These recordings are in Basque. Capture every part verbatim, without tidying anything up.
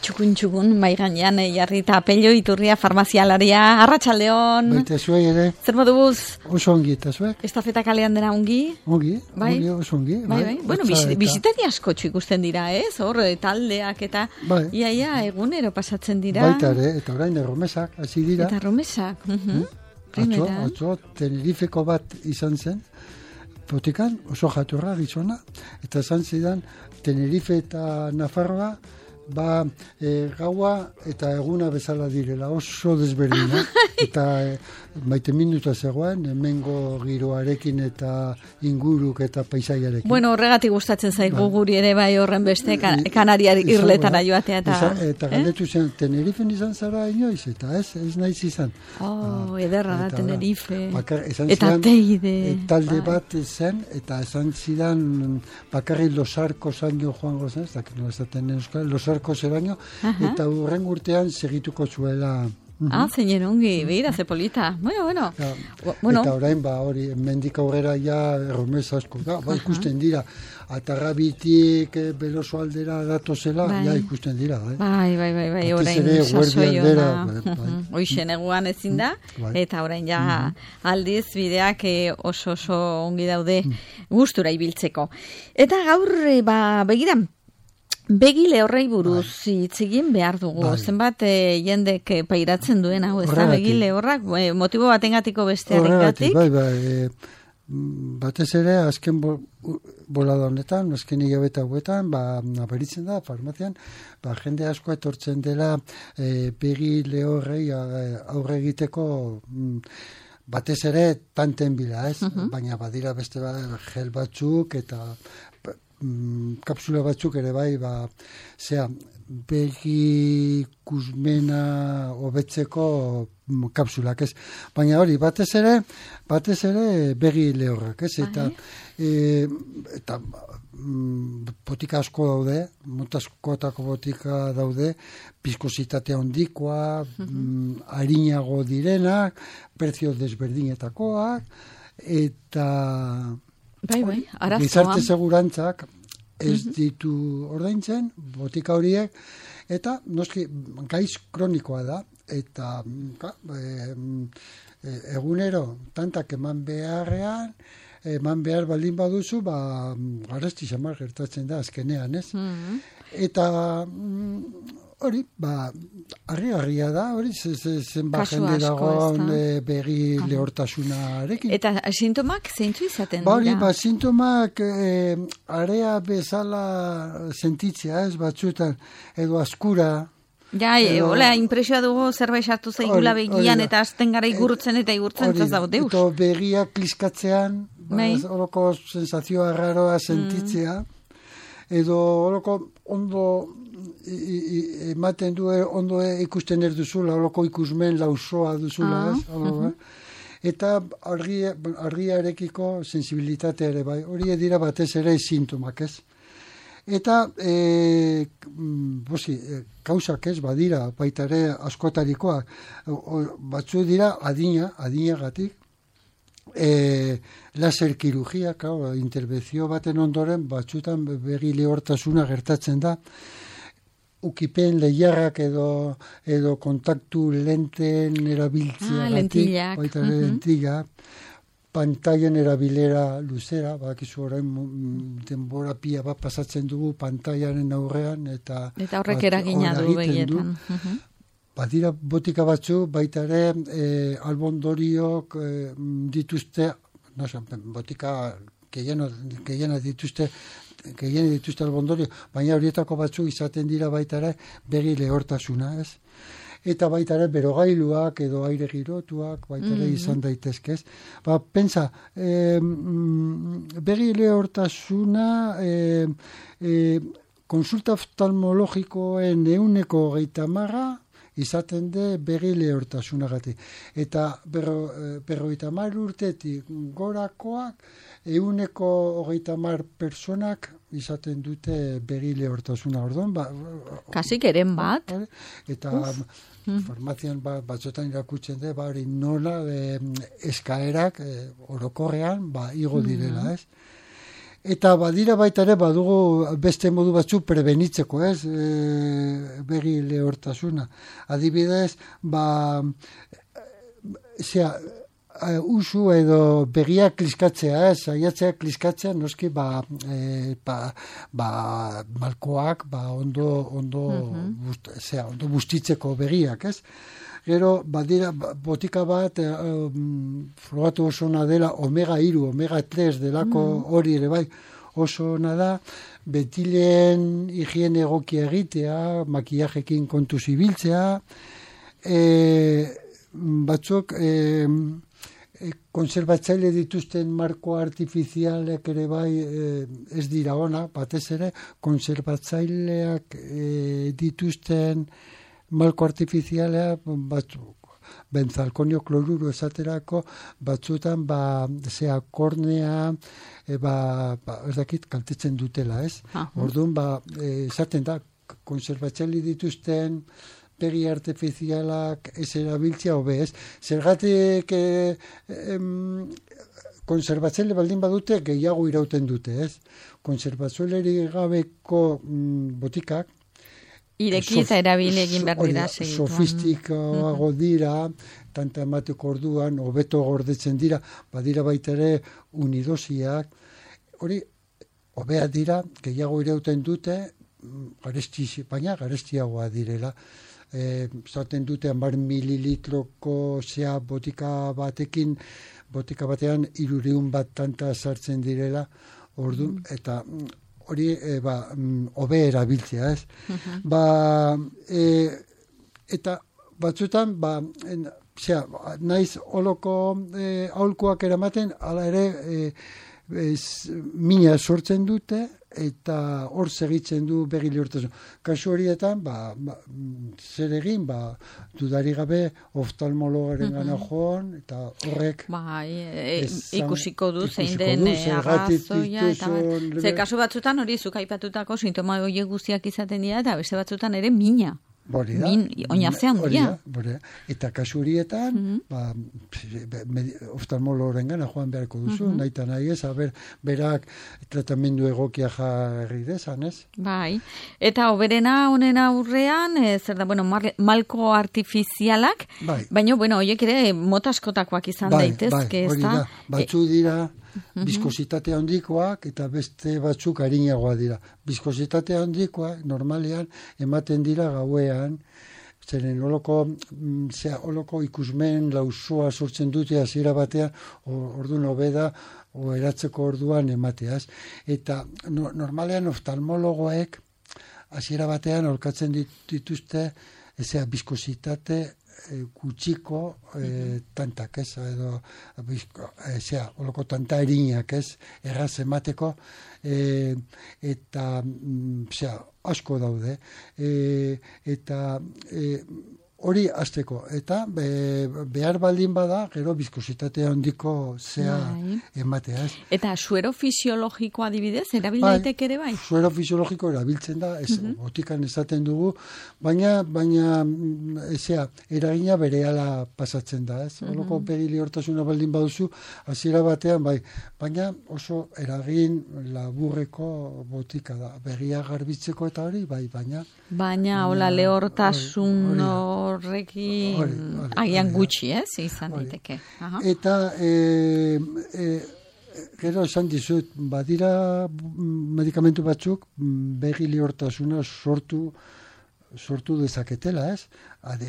txukun txukun, bai gainean jarri eta Pello Iturria farmazialaria, arratsaldeon. Baita zuei ere. Zer moduz? Oso ongi eta zuek? Estafeta kalean dena ongi? Ongi, bai? ongi, oso ongi. Bai, bai. Bueno, eta... bisitari asko ikusten dira, ez? Hor, taldeak eta bai. Ia, ia, egunero pasatzen dira. Baita ere, eta orain erromesak, hasi dira. Eta erromesak. Uh -huh. hmm? Atzo, atzo, Tenerifeko bat izan zen, botikan, oso jatorra gizona, eta esan zidan, Tenerife eta Nafarroa, ba, e, gaua eta eguna bezala direla, oso desberdina, eta e, maite minuta zegoen, hemengo giroarekin eta inguruk eta paisaiarekin. Bueno, horregatik gustatzen zaigu bai. Guri ere bai horren beste, kan, Kanariar irletara joatea. Eta, izan, eta galdetu eh? zen, Tenerifen izan zara inoiz, eta ez, ez naiz izan. Oh, ah, ederra da, Tenerife. Bakar, eta zidan, teide. E, talde bai. bat zen, eta esan zidan, bakarri losarko zaino joango zen, ez dakit no esaten euskal, losarko zeraino, eta urren urtean segituko zuela. Uh-huh. Ah, zeinen ongi, behira, ze polita. Bueno, bueno. Ja, bueno. Eta orain, ba, hori, mendik aurrera ja erromez asko da, ba, ikusten dira. Atarrabitik, eh, beloso aldera datozela, bai. Ja ikusten dira. Eh? Bai, bai, bai, bai, orain sasoi ona. Hoixen eguan ezin da, bai. Eta orain ja mm-hmm. aldiz bideak eh, oso oso ongi daude mm. gustura ibiltzeko. Eta gaur, ba, begiran, Begile horrei buruz hitz egin behar dugu. Bai. Zenbat e, jendek pairatzen duen hau, ez da begile horrak, e, motibo batengatiko bestearengatik? Bai, bai, e, batez ere, azken bo, bolada honetan, azken hilabete hauetan, ba, aberitzen da, farmazian, ba, jende asko etortzen dela e, begile horrei aurre egiteko batez ere tanten bila, ez? Uh-huh. Baina badira beste ba, gel batzuk eta kapsula batzuk ere bai, ba, zea, begi ikusmena hobetzeko kapsulak, ez? Baina hori, batez ere, batez ere begi lehorrak, ez? Eta, e, eta botika asko daude, motaskotako botika daude, piskositatea ondikoa, uh-huh. harinago direnak, prezio desberdinetakoak, eta... Bai, bai, arazoa. Gizarte segurantzak ez ditu ordaintzen, botika horiek, eta noski gaiz kronikoa da, eta ka, e, e, egunero tantak eman beharrean, eman behar baldin baduzu, ba, garesti xamar gertatzen da azkenean, ez? Mm-hmm. Eta hori, ba, harri-harria da, hori, zenbat jende dagoen e, begi ah. lehortasunarekin. Eta sintomak zeintzu izaten dira? Ba, hori, ba, sintomak e, area bezala sentitzea, ez, batzuetan, edo askura. Ja, e, hola, impresioa dugu zerbait sartu zaigula begian, eta azten gara igurtzen eta igurtzen ez dago deus. Eta begiak kliskatzean, ba, horoko sensazioa raroa sentitzea, mm. edo horoko ondo ematen du ondo ikusten ez duzula, horoko ikusmen lausoa duzula, ah, ez? Uh-huh. Eta argi, argiarekiko sensibilitatea ere bai, hori dira batez ere sintomak, ez? Eta e, bosi, e, kausak ez badira, baita ere askotarikoa, batzu dira adina, adinagatik, e, laser kirurgia, claro, interbentzio baten ondoren, batzutan begi lehortasuna gertatzen da, ukipen lehiarrak edo, edo kontaktu lenten erabiltzea. Ah, lentillak. Baita ere uh-huh. lentilla, pantaien erabilera luzera, bakizu orain denbora pia bat pasatzen dugu pantaiaren aurrean, eta... Eta horrek eragina du begietan. Uh-huh. Badira botika batzu, baita ere e, albondoriok e, dituzte, no, botika gehiena, gehiena dituzte, gehiena dituzte albondorio, baina horietako batzu izaten dira baita ere begi lehortasuna, ez? Eta baita ere berogailuak edo aire girotuak baita ere mm-hmm. izan daitezkez. Ba, pentsa, e, begi lehortasuna e, e, konsulta oftalmologikoen ehuneko hogeita hamara izaten de begi lehortasunagatik. Eta berrogeita hamar urtetik gorakoak ehuneko hogeita hamar personak izaten dute begi lehortasuna. Orduan, ba, kasik eren bat. Eta farmazian ba, batzotan irakutzen de, ba, hori nola e, eskaerak e, orokorrean ba, igo direla, ez? Eta badira baita ere badugu beste modu batzu prebenitzeko, ez, e, begi lehortasuna. Adibidez, ba, zera, usu edo begiak kliskatzea, ez, saiatzea kliskatzea, noski, ba, e, ba, ba malkoak, ba, ondo, ondo, uh-huh. bust, zera, ondo bustitzeko begiak, ez. Gero, badira, botika bat, um, frogatu oso ona dela, omega hiru, omega tres delako hori ere bai, oso ona da, betilen higiene egokia egitea, makillajekin kontuz ibiltzea, e, batzuk, e, e, konserbatzaile dituzten marko artifizialek ere bai e, ez dira ona, batez ere, konserbatzaileak e, dituzten malko artifizialea batzuk, benzalkonio kloruro esaterako batzutan ba, zea kornea, e, ba, ba, ez dakit kaltetzen dutela, ez? Uh-huh. Orduan, ba, e, esaten da, konserbatzaile dituzten begi artifizialak ez erabiltzea hobe, ez? Zergatik e, em, konserbatzaile baldin badute gehiago irauten dute, ez? Konserbatzaileri gabeko mm, botikak ireki eta erabili egin behar dira segitu. Sofistikoago dira, tanta emateko orduan, hobeto gordetzen dira, badira baita ere unidosiak, hori, hobea dira, gehiago irauten dute, garesti, baina garestiagoa direla. E, zaten dute hamar mililitroko zea botika batekin, botika batean hirureun bat tanta sartzen direla, orduan, mm. eta hori, e, ba, hobe erabiltzea, ez? Uh-huh. Ba, e, eta batzutan, ba, en, zera, naiz holoko e, aholkoak eramaten, ala ere, e, ez, mina sortzen dute, eta hor segitzen du begi lehortasun. Kasu horietan, ba, ba, zer egin, ba, dudari gabe oftalmologaren mm-hmm. gana joan, eta horrek... Ba, e, e, ikusiko du, zein den arrazoia, eta ba, ze kasu batzutan hori zuk aipatutako sintoma horiek guztiak izaten dira, eta beste batzutan ere mina. Bori da. Min, oinazean dira. Eta kasu horietan, mm-hmm. ba, oftalmologoren gana joan beharko duzu, mm-hmm. nahi eta nahi ez, aber, berak tratamendu egokia jarri dezan, ez? Bai, eta oberena honen aurrean, e, zer da, bueno, mar, malko artifizialak, bai. Baina, bueno, horiek ere motaskotakoak izan bai, daitezke, bai, hori da, batzu dira, biskositate handikoak eta beste batzuk arinagoa dira. Biskositate handikoak normalean ematen dira gauean, zeren holoko, zera, holoko ikusmen lausua sortzen dute hasiera batean, orduan hobeda, o eratzeko orduan emateaz. Eta no, normalean oftalmologoek hasiera batean olkatzen dituzte, ezea, biskositate gutxiko e, tantak, ez, edo, ezea, holoko tanta erinak, ez, erraz emateko, e, eta, zea, asko daude, e, eta e, hori hasteko, eta be, behar baldin bada, gero biskositate handiko zea bai. Ematea, ez. Eta suero fisiologiko adibidez, erabildaiteke ere bai? Suero fisiologiko erabiltzen da, ez, uh-huh. botikan esaten dugu, baina, baina, ezea, eragina berehala pasatzen da, ez. Uh-huh. Holoko begi lehortasuna baldin baduzu, hasiera batean, bai, baina oso eragin laburreko botika da, begia garbitzeko eta hori, bai, baina... Baina, hola, lehortasun horrekin agian gutxi, ez, izan diteke. Eta, e, e, gero esan dizut, badira medikamentu batzuk begi lehortasuna sortu sortu dezaketela, ez?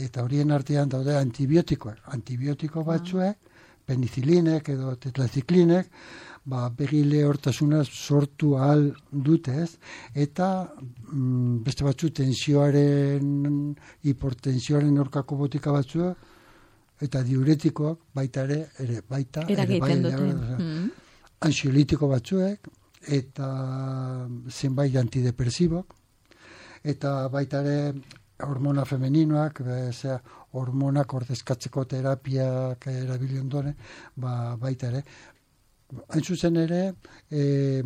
Eta horien artean daude antibiotikoak. Antibiotiko batzuek, penicilinek edo tetlaziklinek, ba, begi lehortasuna sortu ahal dute, ez? Eta mm, beste batzu tensioaren, hipertensioaren aurkako botika batzu, eta diuretikoak baita ere, ere baita, ere bai, mm. ansiolitiko batzuek, eta zenbait antidepresibok, eta baita ere hormona femeninoak, zera, hormonak ordezkatzeko terapiak erabili ondoren, ba, baita ere. Hain zuzen ere, e,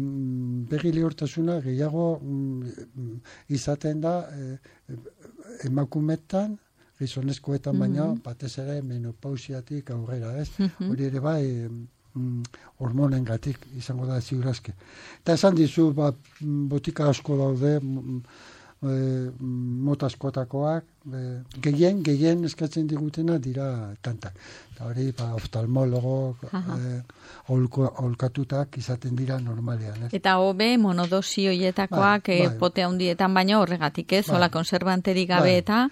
begi lehortasuna gehiago mm, izaten da e, emakumetan, gizonezkoetan baina, mm-hmm. batez ere menopausiatik aurrera, ez? Mm-hmm. Hori ere bai, mm, hormonen gatik izango da ziurazke. Eta esan dizu, ba, botika asko daude, e, mota askotakoak, e, gehien, gehien eskatzen digutena dira tantak. Eta hori, ba, oftalmologo, e, aholkatutak izaten dira normalean. Ez? Eta hobe, monodosi hoietakoak bai, bai. Pote handietan baino horregatik ez, bai. Hola konservanterik gabe bai. Eta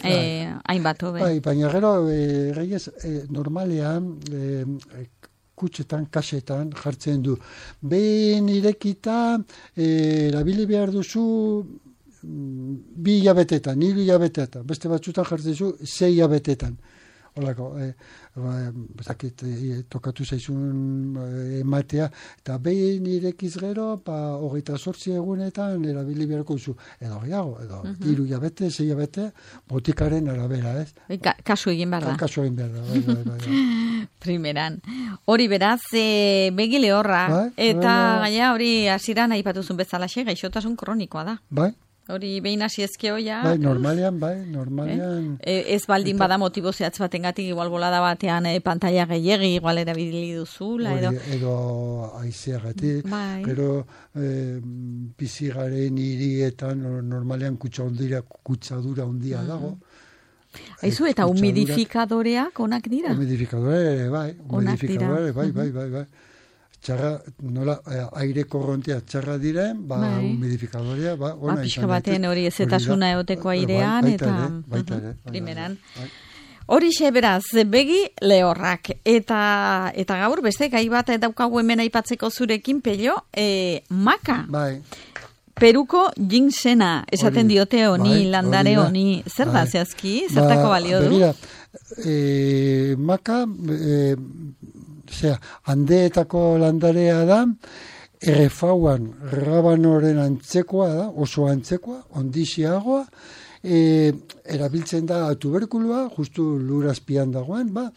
eh, hainbat hobe. Bai, baina gero, e, reiez, e, normalean, e, kutxetan, kasetan jartzen du. Behin irekita, e, erabili behar duzu bi hilabetetan, hiru hilabetetan. Beste batzutan jartzen zu, sei hilabetetan. Holako, e, ba, zakit, e, tokatu zaizun e, ematea, eta behin irekiz gero, ba, hogeita zortzi egunetan erabili beharko zu. Edo gehiago, edo uh-huh. hiru hilabete, sei hilabete, botikaren arabera, ez? Ka kasu egin behar da. Kasu egin behar da, bai, bai, bai, bai. Primeran. Hori beraz, e, begile horra, bai, eta bai, gaia hori hasieran aipatuzun bezalaxe, gaixotasun kronikoa da. Bai. Hori behin hasi ezkeoia. Bai, normalean, bai, normalean. Eh? Ez baldin eta, bada motibo zehatz batengatik igual bolada batean eh, pantalla gehiegi, igual erabili duzula, edo. Edo aizeagatik, bai. Gero eh, bizigaren hirietan normalean kutsadura, kutsadura handia mm. dago. Aizu, eta humidifikadoreak onak dira? Humidifikadore, bai, humidifikadore, bai, bai, bai, bai. Txarra, nola, aire korrontea txarra diren, ba, bai. Humidifikadorea, ba, ona. Ba, pixka baten hori ezetasuna eoteko airean, baita eta... Ere, baita ere, uh-huh, primeran. Hori xe beraz, begi lehorrak. Eta, eta gaur, beste, gai bat daukagu hemen aipatzeko zurekin, Pello, e, maka. Bai. Peruko ginsena, esaten ori, diote honi, bai, landare honi, zer bai. Da zehazki, zertako ba, balio du? Begira, e, maka... E, Osea, handeetako landarea da, errefauan rabanoren antzekoa da, oso antzekoa, ondixiagoa, e, erabiltzen da tuberkulua, justu lurazpian dagoen, ba,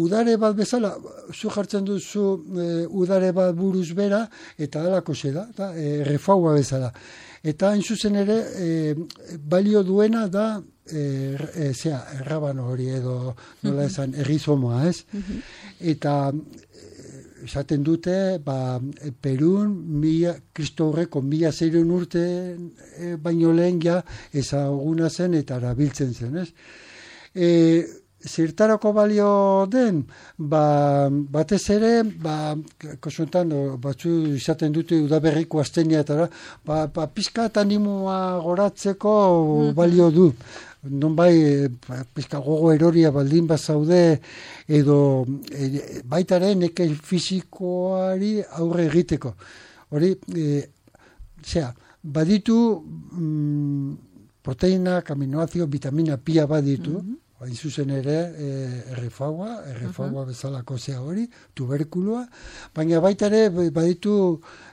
udare bat bezala, zu jartzen duzu e, udare bat buruz bera, eta alako ze da, da errefaua bezala. Eta hain zuzen ere, e, balio duena da, e, e, zera, errabano hori edo, nola esan, errizomoa, ez? Eta esaten dute, ba, Perun, mila, Kristo horreko mila zeireun urte e, baino lehen ja ezaguna zen eta erabiltzen zen, ez? E, zertarako balio den, ba, batez ere, ba, kosuntan, batzu izaten dute udaberriko azteniatara, ba, ba, pizka eta animua goratzeko balio du. Non bai, pizka gogo eroria baldin bazaude, edo e, baitaren neke fisikoari aurre egiteko. Hori, e, zera, baditu mm, proteinak, aminoazio, vitamina pia baditu, mm-hmm. Hain zuzen ere, e, errefaua, errefaua uh-huh. bezalako zea hori, tuberkulua, baina baita ere baditu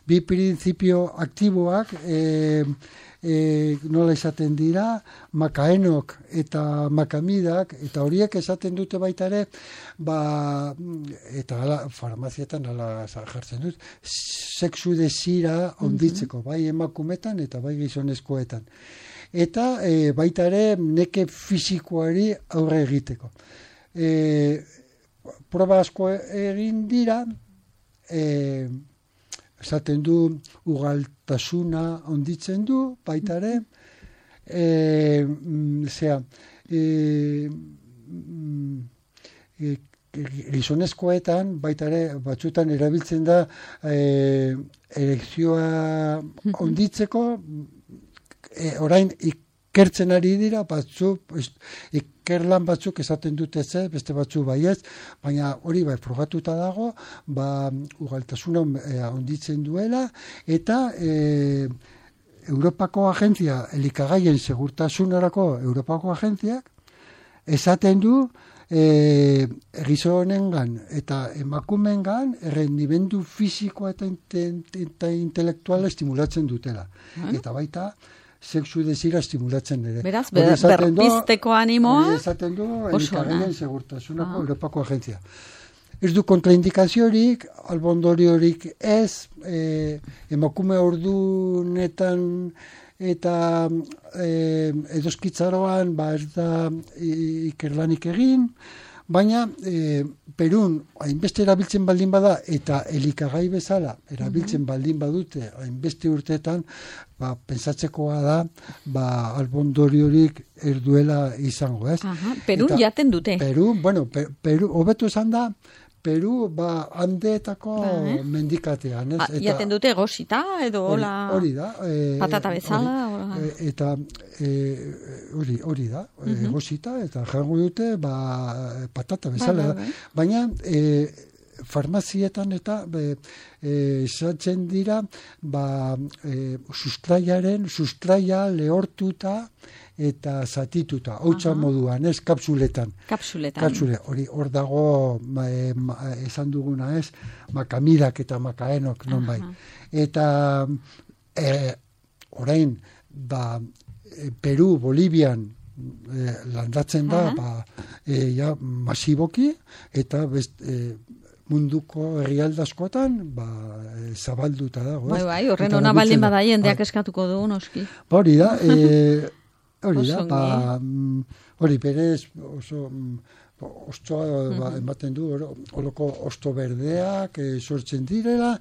bi printzipio aktiboak, e, e, nola esaten dira, makaenok eta makamidak, eta horiek esaten dute baita ere, ba, eta ala, farmazietan ala jartzen dut, sexu desira onditzeko, uh-huh. bai emakumetan eta bai gizonezkoetan. Eta e, baita ere neke fisikoari aurre egiteko. E, proba asko egin dira, e, esaten du ugaltasuna onditzen du, baita ere, e, zera, e, e, gizonezkoetan, baita ere, batzutan erabiltzen da e, erekzioa onditzeko, E, orain ikertzen ari dira, batzuk, ikerlan batzuk esaten dute ze, beste batzuk baiez, baina hori bai frogatuta dago, ba, ugaltasuna e, onditzen duela, eta e, Europako agentzia, elikagaien segurtasunarako Europako agentziak, esaten du, e, gizonengan eta emakumeengan errendimendu fisikoa eta, eta intelektuala estimulatzen dutela. Hmm? Eta baita, sexu desira estimulatzen ere. Beraz, ber, berpizteko animoa? Esaten du, elikagaien segurtasunako ah. Europako agentzia. Ez du kontraindikaziorik, albondoriorik ez, e, emakume ordunetan eta e, edoskitzaroan ba ez da ikerlanik egin, baina e, Perun hainbeste erabiltzen baldin bada eta elikagai bezala erabiltzen baldin badute hainbeste urteetan, ba, pensatzekoa da, ba, albondoriorik erduela izango, ez? Aha, Perun eta, jaten dute. Peru, bueno, per, Peru, hobeto esan da, Peru, ba, handeetako ba, eh? mendikatean, ez? Eta, jaten dute gosita, edo hola... Hori da. E, patata bezala, hola... E, eta hori e, hori da, uh -huh. e, gosita, eta jango dute, ba, patata bezala. Ba, ba, ba. Baina, e, farmazietan eta esatzen e, dira, ba, e, sustraiaren, sustraia lehortuta, eta zatituta, hautsa moduan, ez, kapsuletan. Kapsuletan. Kapsule, hori, hor dago, ma, e, ma, esan duguna, ez, makamirak eta makaenok, non bai. Eta, e, orain, ba, Peru, Bolivian, e, landatzen da, ba, e, ja, masiboki, eta best, e, munduko herrialdaskotan, ba, e, zabalduta dago, ez. Bai, bai, horren ona baldin bada jendeak eskatuko du, noski. Hori da, e, hori da, ba, hori berez oso ostoa ba, ematen du, horoko osto berdeak e, sortzen direla,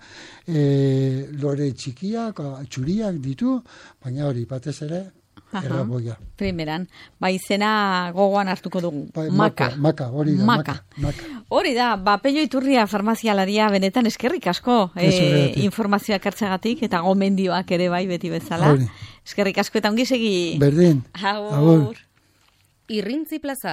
e, lore txikiak, txuriak ditu, baina hori, batez ere, erraboia. Primeran, ba izena gogoan hartuko dugu, ba, maka. Maka, hori da, maka. maka. Hori da, ba, Pello Iturria farmazialaria benetan eskerrik asko e, informazioak hartzagatik eta gomendioak ere bai beti bezala. Hori. Eskerrik asko eta ongi segi. Berdin. Agur. Irrintzi Plaza.